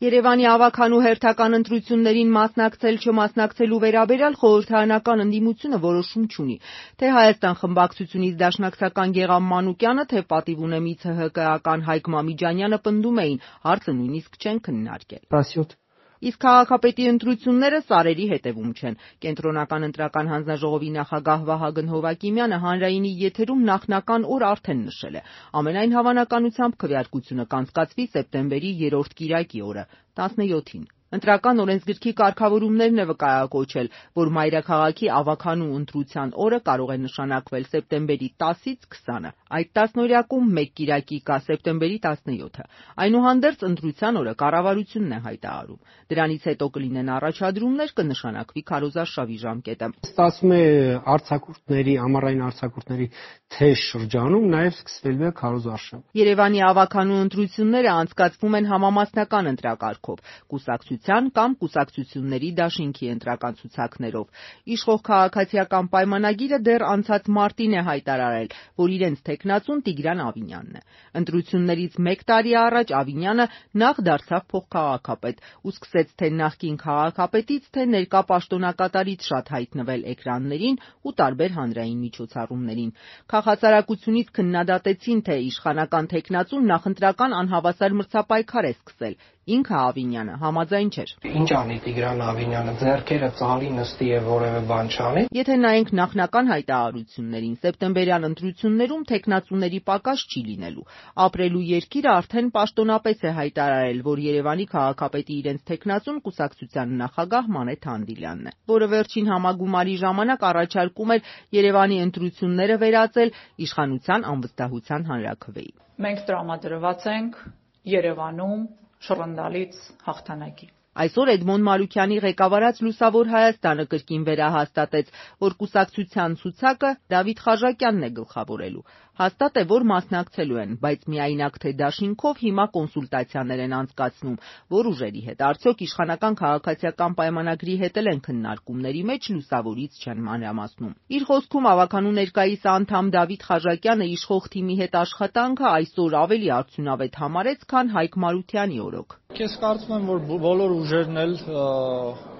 Երևանի ավագանու հերթական ընտրություններին մասնակցել-չմասնակցելու վերաբերյալ խորհրդարանական ընդդիմությունը որոշում չունի։ Թե Հայաստան խմբակցությունից դաշնակցական Գեղամ Մանուկյանը, թե պատիվ ունեմի ՑՀԿ-ական Հայկ Մամիջանյանը պնդում էին, հարցը նույնիսկ չեն քննարկել։ Իսկ քաղաքապետի ընտրությունները սարերի հետևում չեն։ Կենտրոնական ընտրական հանձնաժողովի նախագահ Վահագն Հովակիմյանը հանրայինի եթերում նախնական օր արդեն նշել է։ Ամենայն հավանականությամբ քվեարկությունը կանցկացվի սեպտեմբերի 3-րդ կիրակի օրը՝ 17-ին։ Ընտրական օրենսգրքի կարգավորումներն է վկայակոչել, որ մայրաքաղաքի ավագանու ընտրության օրը կարող է նշանակվել սեպտեմբերի 10-ից 20-ը։ Այդ տասնօրյակում մեկ կիրակի կա սեպտեմբերի 17-ը։ Այնուհանդերձ ընտրության օրը կառավարությունն է հայտարարում։ Դրանից հետո կլինեն առաջադրումներ, կնշանակվի քարոզարշավի ժամկետը։ Ստացվում է ամառային արձակուրդների թեժ շրջանում նաև սկսվելու է քարոզարշավ։ Երևանի ավագանու ընտրությունները անցկացվում են համամասնական ընտրակարգով, կուսակցության կամ կուսակցությունների դաշինքի ընտրական ցուցակներով։ Իշխող քաղաքացիական պայմանագիրը դեռ անցած մարտին է հայտարարել, որ իրենց թեկնածուն Տիգրան Ավինյանն է։ Ընտրություններից մեկ տարի առաջ Ավինյանը նախ դարձավ փոխքաղաքապետ ու սկսեց թե նախկին քաղաքապետից, թե ներկա պաշտոնակատարից շատ հայտնվել էկրաններին ու տարբեր հանրային միջոցառումներին։ Քաղաքասարակությունից քննադատեցին, թե իշխանական թեկնածուն նախընտրական անհավասար մրցապայքար է սկսել։ Ինքը Ավինյանը համաձայն չէր։ Ինչ անի Տիգրան Ավինյանը, ձեռքերը ծալի նստի եւ որևէ բան չանի։ Եթե նայենք նախնական հայտարարություններին, սեպտեմբերյան ընտրություններում թեկնածուների պակաս չի լինելու։ Ապրելու երկիրը արդեն պաշտոնապես է հայտարարել, որ Երևանի քաղաքապետի իրենց թեկնածուն կուսակցության նախագահ Մանեթ Հանդիլյանն է, որը վերջին համագումարի ժամանակ առաջարկում էր Երևանի ընտրությունները վերածել իշխանության անվստահության հանրաքվեի։ Մենք տրամադրված ենք Երևանում շռնդալից հաղթանակի։ Այսօր Էդմոն Մարուքյանի ղեկավարած Լուսավոր Հայաստանը կրկին վերահաստատեց, որ կուսակցության ցուցակը Դավիթ Խաժակյանն է գլխավորելու։ Հաստատ է, որ մասնակցելու են, բայց միայնակ թե դաշինքով հիմա կոնսուլտացիաներ են անցկացնում, որ ուժերի հետ։ Արդյոք իշխանական քաղաքացիական պայմանագրի հետ էլ են քննարկումների մեջ, Լուսավորից չեն մանրամասնում։ Իր խոսքում ավագանու ներկայիս անդամ Դավիթ Խաժակյանը իշխող թիմի հետ աշխատանքը այսօր ավելի արդյունավետ համարեց, քան Հայկ Մարությանի օրոք։ Ես կարծում եմ, որ բոլոր ուժերն էլ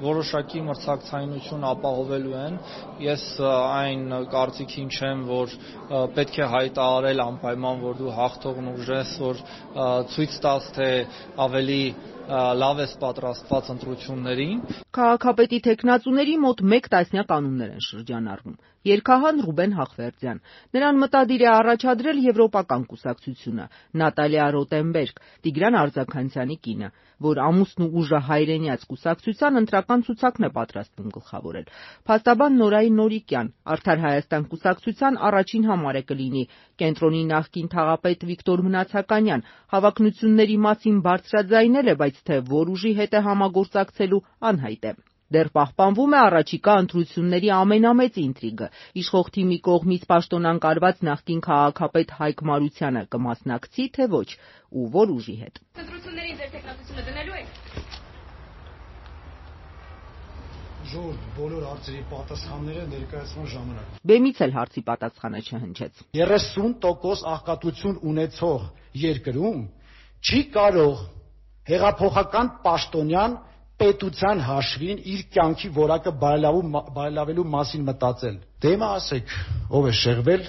որոշակի մրցակցայնություն ապահովելու են։ Ես այն կարծիքին չեմ, որ պետք է հայտարարել անպայման, որ դու հաղթողն ուժ ես, որ ցույց տաս, թե ավելի լավ ես պատրաստված ընտրություններին։ Քաղաքապետի թեկնածուների մոտ 1 տասնյակ անուններ են շրջանառվում։ Երգահան Ռուբեն Հախվերդյան։ Նրան մտադիր է առաջադրել Եվրոպական կուսակցությունը, Նատալիա Ռոտենբերգ, Տիգրան Արձաքանցյանի կինը, որ ամուսնու ուժը հայրենյաց կուսակցության ընտրական ցուցակն է պատրաստվում գլխավորել։ Փաստաբան Նորայի Նորիկյան, Արդար Հայաստան կուսակցության առաջին համարը կլինի, կենտրոնի նախկին թաղապետ Վիկտոր Մնացականյան, հավակնությունների մասին բարձրաձայնել է, բայց թե որ ուժի հետ է համագործակցելու անհայտ է։ Դեռ պահպանվում է առաջիկա ընտրությունների ամենամեծ ինտրիգը՝ իշխող թիմի կողմից պաշտոնանկարված նախկին քաղաքապետ Հայկ Մարությանը կմասնակցի, թե ոչ, ու որ ուժի հետ։ Ընտրություններին ձեր տեխնատությունը դնելու եք։ Ժողովուրդ, բոլոր հարցերի պատասխանները ներկայացման ժամանակ։ Բեմից էլ հարցի պատասխանը չհնչեց։ 30% աղքատություն ունեցող երկրում չի կարող հեղափոխական պաշտոնյան պետության հաշվին իր կյանքի որակը բարելավելու մասին մտածել։ Դե հիմա ասեք, ով է շեղվել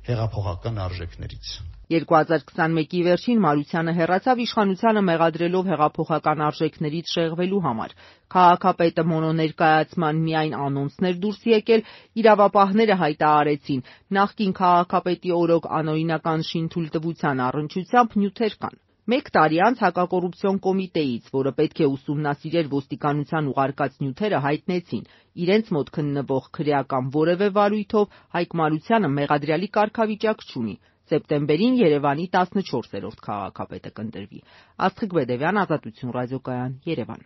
հեղափոխական արժեքներից։ 2021-ի վերջին Մարությանը հեռացավ իշխանությանը մեղադրելով հեղափոխական արժեքներից շեղվելու համար։ Քաղաքապետը մոնոներկայացման միայն անոնցներ դուրս եկել, իրավապահները հայտարարեցին, նախկին քաղաքապետի օրոք անօրինական շինթույլտվության առնչությամբ նյութեր կան։ 1 տարի անց հակակոռուպցիոն կոմիտեից, որը պետք է ուսումնասիրեր ոստիկանության ուղարկած նյութերը, հայտնեցին, իրենց մոտ քննվող քրեական որևէ վարույթով Հայկ Մարությանը մեղադրյալի կարգավիճակ չունի։ Սեպտեմբերին Երևանի 14-րդ քաղաքապետը կընտրվի։ Աստղիկ Բեդևյան, Ազատություն ռադիոկայան, Երևան։